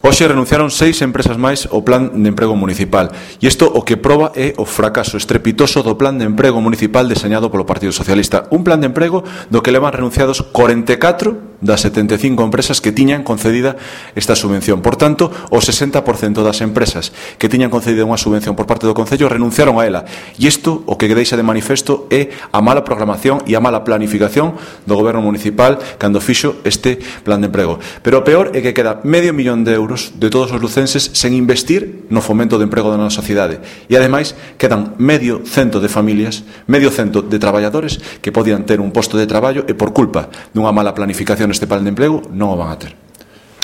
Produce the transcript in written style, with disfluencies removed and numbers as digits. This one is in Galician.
Hoxe renunciaron 6 empresas máis ao Plan de Emprego Municipal e isto o que proba é o fracaso estrepitoso do Plan de Emprego Municipal deseñado polo Partido Socialista. Un plan de emprego do que levan renunciados 44 das 75 empresas que tiñan concedida esta subvención. Por tanto, o 60% das empresas que tiñan concedida unha subvención por parte do Concello renunciaron a ela. E isto o que deixa de manifesto é a mala programación e a mala planificación do Goberno Municipal cando fixo este plan de emprego. Pero o peor é que queda $500.000 de todos os lucenses sen investir no fomento do emprego da nosa sociedade. E ademais quedan medio cento de familias, medio cento de traballadores que podían ter un posto de traballo e por culpa dunha mala planificación este plan de emprego non o van a ter.